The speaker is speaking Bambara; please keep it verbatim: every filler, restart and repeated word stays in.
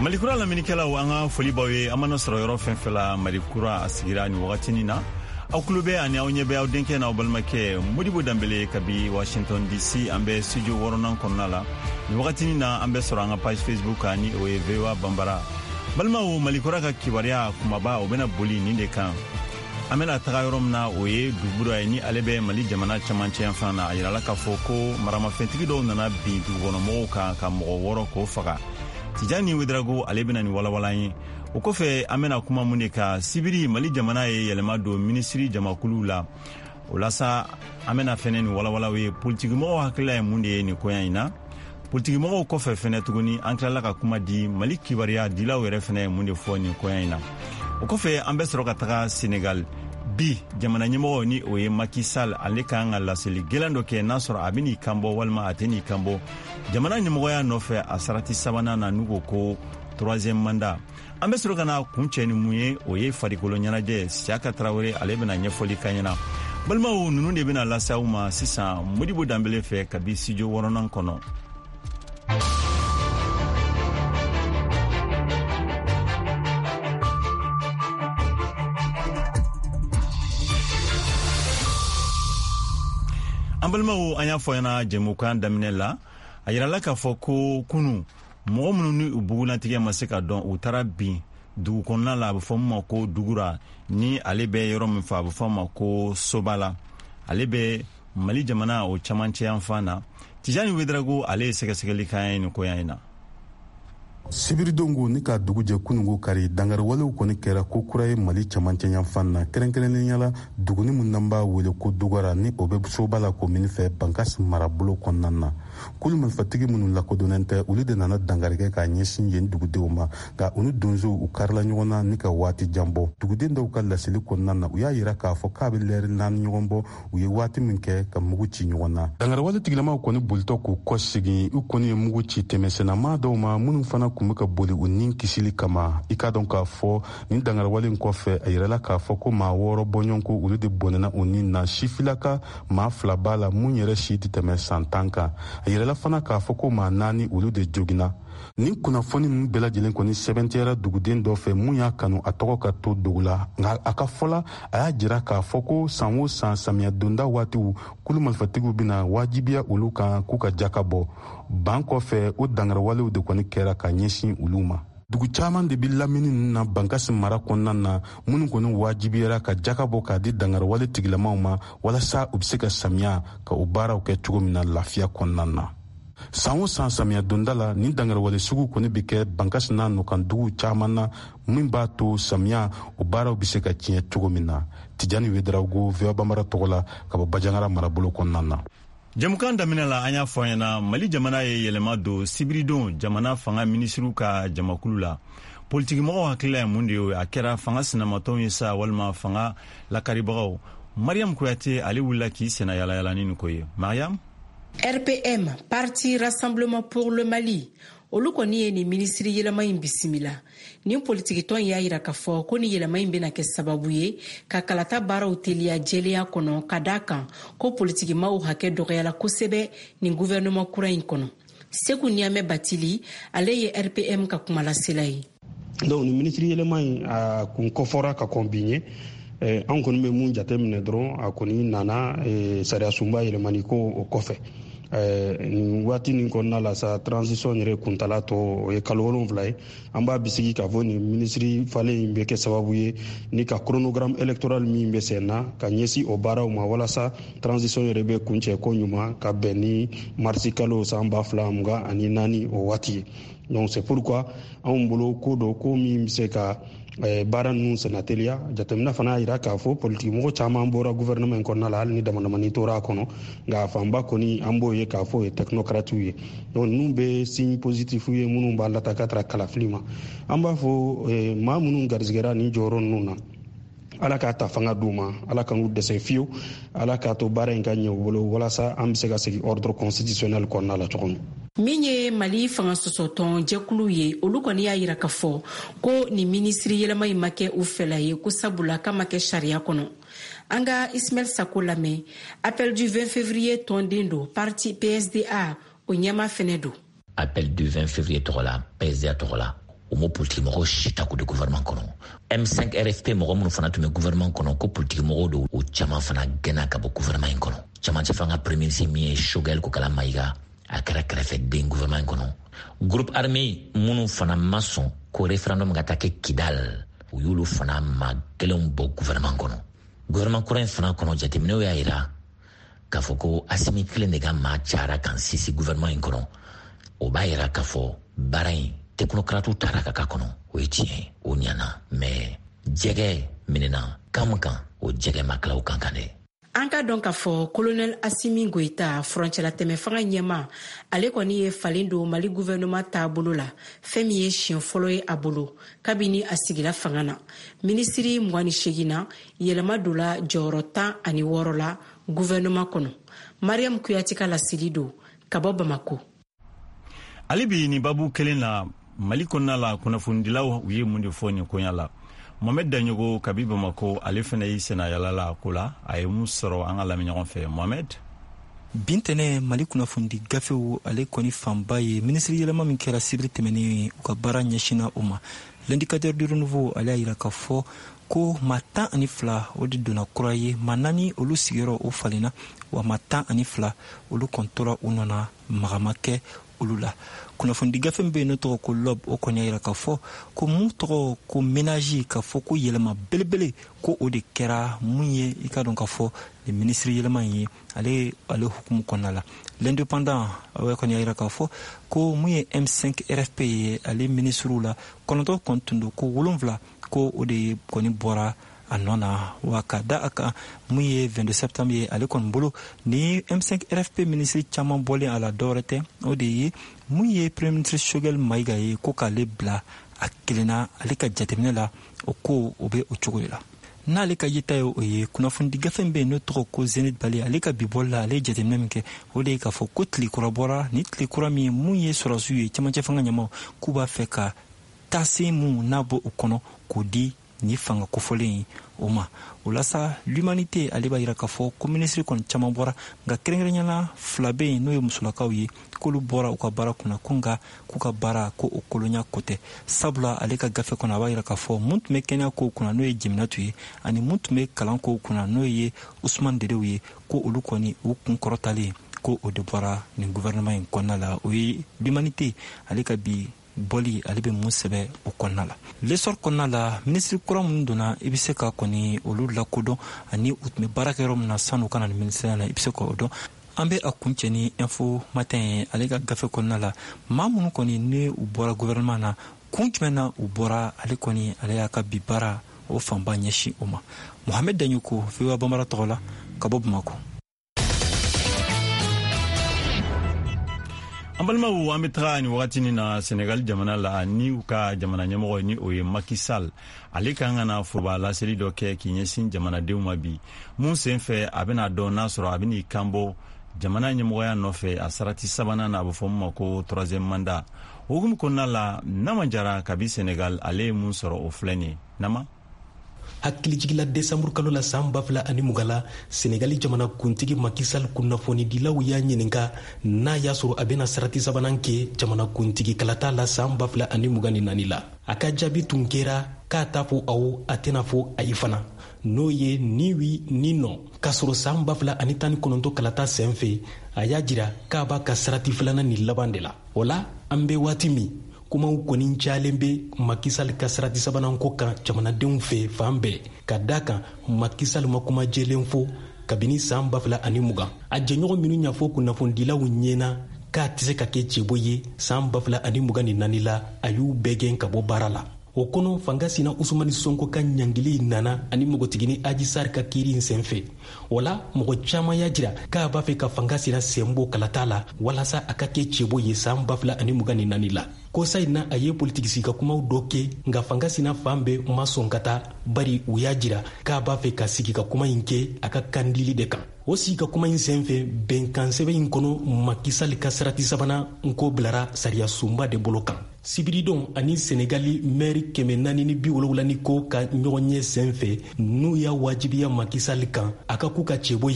Malikura lamɛnnikɛlaw, an ka foli b'aw ye. An mana sɔrɔ yɔrɔ fɛn fɛn la, Malikura a sigira nin wagatinin na. Aw tulo bɛ ani aw ɲɛ bɛ aw denkɛ n'aw balimakɛ Modibo Danbele kabi Washington D C. An bɛ studio wɔɔrɔnan kɔnɔna la nin wagatinin na. An bɛ sɔrɔ an ka page Facebook kan, ni o ye V O A Banbara. Balimaw, Malikura ka kibaruya kumaba, o bɛna boli nin de kan. An bɛna taga yɔrɔ min na, o ye Dugura ye, ni ale bɛ Mali jamana camancɛ yanfan na. A yirala k'a fɔ ko maramafɛntigi dɔw nana bin dugukɔnɔmɔgɔw kan ka mɔgɔ wɔɔrɔ k'o faga. Tijani Wedarago, ale bɛna nin walawala ye. O kɔfɛ, an bɛna kuma mun de kan? Sibiri, Mali jamana ye yɛlɛma don minisiri jamakuluw la. O la sa, an bɛna fɛnɛ nin walawalaw ye. Politikimɔgɔw hakilila ye mun de ye nin koɲa in na? Politikimɔgɔw kɔfɛ fɛnɛ tuguni, an tilala ka kuma di Mali kibaruya dilaw yɛrɛ fɛnɛ ye mun de fɔ nin koɲa in na. O kɔfɛ, an bɛ sɔrɔ ka taga Senegal. Bi, jamana ɲɛmɔgɔ, ni o ye Macky Sall, ale kan ka laseli gwɛlɛn dɔ kɛ, n'a sɔrɔ a bɛ n'i kan bɔ walima a tɛ n'i kan bɔ jamana ɲɛmɔgɔya nɔfɛ a sarati sabanan na, n'u ko ko troisième mandat. An bɛ sɔrɔ ka na kun cɛ ni mun ye? O ye farikolo ɲɛnajɛ. Siyaka Tarawele, ale bɛna ɲɛfɔli kan ɲɛna. Balimaw, ninnu de bɛna lase aw ma sisan Modibo Danbele fɛ kabi studio wɔɔrɔnan kɔnɔ. An balimaw, an y'a fɔ ɲɛna jɛmukan daminɛ la, a yirala k'a fɔ ko kunu, mɔgɔ minnu ni u bugunatigɛ ma se ka dɔn, u taara bin dugu kɔnɔna la, a bɛ fɔ min ma ko Dugura, ni ale bɛ yɔrɔ min fɛ, a bɛ fɔ ma ko Sobala, ale bɛ Mali jamana o camancɛ yanfan na. Tijani Wedarago, ale ye sɛgɛsɛgɛli kan ye nin koɲa in na. Sibiridon ko ni ka dugu jɛ kunungo kari, dangariwalew kɔni kɛra ko kura ye Mali camancɛ yanfan na, kɛrɛnkɛrɛnnenya la duguni min n'an b'a wele ko Dugara, ni o bɛ Soba la komini fɛ, Bankas marabolo kɔnɔna na. Kulu marifatigi minnu lakodɔnnen tɛ, olu de nana dangari kɛ k'a ɲɛsin yen dugudenw ma, nka u ni donsow u karila ɲɔgɔn na ni ka waati jan bɔ. Duguden dɔw ka laseli kɔnɔna na, u y'a yira k'a fɔ k'a bɛ lɛri naani ɲɔgɔn bɔ, u ye waati min kɛ ka mugu ci ɲɔgɔn na. Dangariwale tigilamaw kɔni bolitɔ k'u kɔ segin, u kɔni ye mugu ci tɛmɛsennama dɔw ma minnu fana kun bɛ ka boli u nin kisili kama. I k'a dɔn k'a fɔ nin dangariwale in kɔfɛ, a yirala k'a fɔ ko maa wɔɔrɔ bɔɲɔgɔnko, olu de bɔnɛna u nin na. Sifilaka maa fila b'a la mun yɛrɛ si tɛ tɛmɛ san tan kan. A yirala fana k'a fɔ ko maa naani, olu de joginna. Nin kunnafoni ninnu bɛɛ lajɛlen kɔni sɛbɛntiyara duguden dɔ fɛ mun y'a kanu a tɔgɔ ka to dogo la, nka a ka fɔ la, a y'a jira k'a fɔ ko san o san samiya donda waatiw, kulu marifatigiw bɛna wajibiya olu kan k'u ka jaka bɔ. Ban kɔfɛ, o dangariwalew de kɔni kɛra ka ɲɛsin olu ma. Dugu caman de bɛ lamini ninnu na Bankasi mara kɔnɔna na, minnu kɔni wajibiyara ka jaka bɔ k'a di dangariwale tigilamaw ma, walasa u bɛ se ka samiya ka o baaraw kɛ cogo min na lafiya kɔnɔna na. San o san samiya donda la, nin dangariwale sugu kɔni bɛ kɛ Bankasi n'a nɔkan duguw caman na, min b'a to samiya o baaraw bɛ se ka tiɲɛ cogo min na. Tijani Wedarago, V O A Banbara tɔgɔ la, ka bɔ Bajangara marabolo kɔnɔna na. Jɛmukan daminɛ la, an y'a fɔ ɲɛna, Mali jamana ye yɛlɛma don sibiridon jamana fanga minisiriw ka jamakulu la. Politikimɔgɔw hakilila ye mun de ye? A kɛra fanga sinamatɔnw ye sa walima fanga lakaribagaw? Mariam Kuyate, ale wulila k'i senna yalayala ni nin ko ye. Mariam. R P M, Parti Rassemblement pour le Mali, olu kɔni ye nin minisiri yɛlɛma in bisimila. Nin politikitɔn y'a yira k'a fɔ ko ni yɛlɛma in bɛna kɛ sababu ye ka kalata baaraw teliya jɛlenya kɔnɔ, ka da kan ko politikimaw hakɛ dɔgɔyala kosɛbɛ nin guvɛrɛnɛman kura in kɔnɔ. Seku Niyamɛ Batili, ale ye R P M ka kumalasela ye. Donc nin minisiri yɛlɛma in, a kun kɔfɔra ka kɔn bi ɲɛ. An kɔni bɛ mun jate minɛ dɔrɔn, a kɔni nana sariya sunba yɛlɛmani ko o kɔfɛ. Nin waati nin kɔnɔna la sa, transition yɛrɛ kuntala tɔ o ye kalo wolonfila ye. An b'a bisigi k'a fɔ nin minisiri falen in bɛ kɛ sababu ye ni ka chronogramme électoral min bɛ sen na ka ɲɛsin o baaraw ma, walasa transition yɛrɛ bɛ kuncɛ ko ɲuman ka bɛn ni marisi kalo san ba fila mugan ani naani o waati ye. Donc c'est pourquoi anw bolo ko dɔ ko min bɛ se ka baara ninnu senna teliya. Jateminɛ fana y'a jira k'a fɔ politikimɔgɔ caman bɔra gouvernement in kɔnɔna la, hali ni damadamani tora a kɔnɔ, nka a fanba kɔni an b'o ye k'a fɔ o ye technocrates ye. Donc ninnu bɛ signe positif ye minnu b'a lata ka taara kalafili ma. An b'a fɔ maa minnu garijɛgɛra nin jɔyɔrɔ ninnu na, Ala k'a ta fanga d'u ma, Ala ka n'u dɛsɛ fiyewu, Ala k'a to baara in ka ɲɛ u bolo, walasa an bɛ se ka segin ordre constitutionnel kɔnɔna la cogo min. Min ye Mali fanga sɔsɔtɔn jɛkulu ye, olu kɔni y'a yira k'a fɔ ko nin minisiri yɛlɛma in ma kɛ u fɛla ye, ko sabula k'a ma kɛ sariya kɔnɔ. An ka Ismaɛl Sako lamɛn. Appel du vingt février tɔnden don, parti P S D A o ɲɛma fɛnɛ don. Appel du vingt février tɔgɔ la, P S D A tɔgɔ la, U m'o politiki mɔgɔw si ta k'o di gouvernement kɔnɔ. M cinq R F P mɔgɔ minnu fana tun bɛ gouvernement kɔnɔ, ko politiki mɔgɔw don, o caman fana gɛnna ka bɔ gouvernement in kɔnɔ. Camancɛ fanga premier ministre min ye Choguel Kokala Maïga, a kɛra kɛrɛfɛden gouvernement in kɔnɔ. Groupe armé minnu fana ma sɔn ko référendum ka taa kɛ Kidal, u y'olu fana maa kelenw bɔ gouvernement kɔnɔ. Gouvernement kura in fana kɔnɔ, jateminɛw y'a yira k'a fɔ ko Asimi kelen de ka maa cayara kan sisi gouvernement in kɔnɔ. O b'a yira k'a fɔ baara in, technocratew taara ka k'a kɔnɔ, o ye tiɲɛ, o ɲana, mais jɛgɛ minɛna kan min kan, o jɛgɛ ma tila o kan kan dɛ. An ka dɔn k'a fɔ Kolonɛl Asimi Goyita, furancɛlatɛmɛ fanga ɲɛma, ale kɔni ye falen don Mali guvɛrɛnɛman taabolo la, fɛn min ye siɲɛ fɔlɔ ye a bolo kabini a sigila fanga na. Minisiri mugan ni segin na, yɛlɛma donna jɔyɔrɔ tan ani wɔɔrɔ la guvɛrɛnɛman kɔnɔ. Mariam Kuyati ka laseli don ka bɔ Bamako. Hali bi nin babu kelen na, Mali kɔnɔna la, kunnafonidilaw, u ye mun de fɔ nin koɲa la? Mohamed Daɲogo kabi Bamako, ale fana y'i senna yala la ko la. A ye mun sɔrɔ? An ka lamɛn ɲɔgɔn fɛ, Mohamed. Bintɛnɛ, Mali kunnafonidi gafew, ale kɔni fanba ye minisiri yɛlɛma min kɛra sibiri tɛmɛnen, u ka baara ɲɛsinna o ma. L'Indicateur du Renouveau, ale y'a yira k'a fɔ ko maa tan ani fila, o de donna kura ye. Maa naani, olu sigiyɔrɔ o falenna, wa maa tan ani fila, olu kɔni tora u nɔna, maga ma kɛ olu la. Kunnafonidi gafe min bɛ yen n'o tɔgɔ ko L'Aube, o kɔni y'a yira k'a fɔ ko mun tɔgɔ ko ménage, k'a fɔ ko yɛlɛma belebele ko o de kɛra mun ye, i ka dɔn k'a fɔ nin minisiri yɛlɛma in ye, ale ale hukumu kɔnɔna la. L'Indépendant, o kɔni y'a yira k'a fɔ ko mun ye M cinq R F P ye, ale minisiriw la kɔnɔntɔn kɔni tun don, ko wolonfila ko o de kɔni bɔra a nɔ na. Wa ka da a kan, mun ye vingt-deux septembre ye, ale kɔni bolo, ni M cinq R F P minisiri caman bɔlen a la, dɔwɛrɛ tɛ, o de ye mun ye premier ministre Choguel Maïga ye, ko k'ale bila a kelenna. Ale ka jateminɛ la, o ko o bɛ o cogo de la n'ale ka yeta ye. O ye kunnafonidi gafe min bɛ yen n'o tɔgɔ ko Zenith Bali, ale ka bi bɔli la, ale ye jateminɛ min kɛ, o de ye k'a fɔ ko tile kura bɔra. Ni tile kura min, mun ye sɔrɔsiw ye, cɛmancɛ fanga ɲɛmaw, k'u b'a fɛ ka taasen mun n'a bɔ o kɔnɔ k'o di ni fanga kofɔlen ye o ma. O la sa, L'Humanité, ale b'a yira k'a fɔ ko minisiri kɔni caman bɔra, nka kɛrɛnkɛrɛnyana fila bɛ yen, n'o ye musolakaw ye, k'olu bɔra u ka baara kunna, ko nka k'u ka baara ko o kolonya ko tɛ, sabula ale ka gafe kɔnɔ, a b'a yira k'a fɔ mun tun bɛ kɛnɛya kow kunna, n'o ye Jeminatu ye, ani mun tun bɛ kalan kow kunna, n'o ye Usman Dedew ye, ko olu kɔni u kun kɔrɔtalen ko o de bɔra nin gouvernement in kɔnɔna la. O ye L'Humanité, ale ka bi bɔli, ale bɛ mun sɛbɛ o kɔnɔna la. L'Essor kɔnɔna la, minisiri kura minnu donna, i bɛ se ka kɔni olu lakodɔn, ani u tun bɛ baara kɛ yɔrɔ min na san'u ka na ni minisiriya la, i bɛ se k'o dɔn. An bɛ a kuncɛ ni Info Matin ye. Ale ka gafe kɔnɔna la, maa minnu kɔni ni u bɔra gouvernement na, kun jumɛn na u bɔra, ale kɔni ale y'a ka bi baara o fanba ɲɛsin o ma. Mohamed Daɲoko, V O A Bambara tɔgɔ la, ka bɔ Bamako. An balimaw, an bɛ taga nin wagatinin na Senegal jamana la, ni u ka jamana ɲɛmɔgɔ, ni o ye Macky Sall. Ale kan ka na foroba laseli dɔ kɛ k'i ɲɛsin jamanadenw ma bi, mun sen fɛ a bɛna dɔn n'a sɔrɔ a bɛn'i kanbɔ jamana ɲɛmɔgɔya nɔfɛ a sarati sabanan na, a bɛ fɔ min ma ko troisième mandat. O hukumu kɔnɔna la, Nama Jara kabi Senegal, ale ye mun sɔrɔ, o filɛ nin ye. Nama. Hakilijigila, desanburu kalo la san ba fila ani mugan la, Senegali jamana kuntigi Macky Sall, kunnafonidilaw y'a ɲininka n'a y'a sɔrɔ a bɛna sarati sabanan kɛ jamana kuntigi kalata la san ba fila ani mugan ni naani la. A ka jaabi tun kɛra k'a t'a fɔ awɔ, a tɛna fɔ ayi fana, n'o ye ni oui ni non. K'a sɔrɔ san ba fila ani tan ni kɔnɔntɔ kalata sen fɛ, a y'a jira k'a b'a ka sarati filanan ni laban de la. O la, an bɛ waati min, kumaw kɔni cayalen bɛ Macky Sall ka sarati sabanan ko kan jamanadenw fɛ fan bɛɛ, ka da kan Macky Sall ma kuma jɛlen fɔ kabini san ba fila ani mugan. A jɛɲɔgɔn minnu y'a fɔ kunnafonidilaw ɲɛna k'a tɛ se ka kɛ cɛbɔ ye san ba fila ani mugan ni naani la, a y'u bɛɛ gɛn ka bɔ baara la. O kɔnɔ, fanga sina Usumani Sonko ka ɲangili nana ani npogotigini Aji Sar ka kiiri in sen fɛ. O la, mɔgɔ caaman y'a jira k'a b'a fɛ ka fanga sina sen bɔ kalata la walasa a ka kɛ cɛbɔ ye san ba fila ani mugan ni naani la. Kosa in na, a ye politiki sigi kumaw dɔ kɛ, nka fanga sina fan bɛɛ ma sɔn ka taa, bari u y'a jira k'a b'a fɛ ka sigi ka kuma in kɛ a ka kandili de kan. O sigi ka kuma in sen fɛ, bɛnkan sɛbɛn in kɔnɔ, Macky Sall ka sarati sabanan nko bilara sariya sunba de bolo kan. Sibiridon ani Senegali mɛri kɛmɛ naani ni bi wolowula ni ko ka ɲɔgɔn ɲɛ sen fɛ, n'u y'a wajibiya Macky Sall kan a ka k'u ka cɛbɔ ye.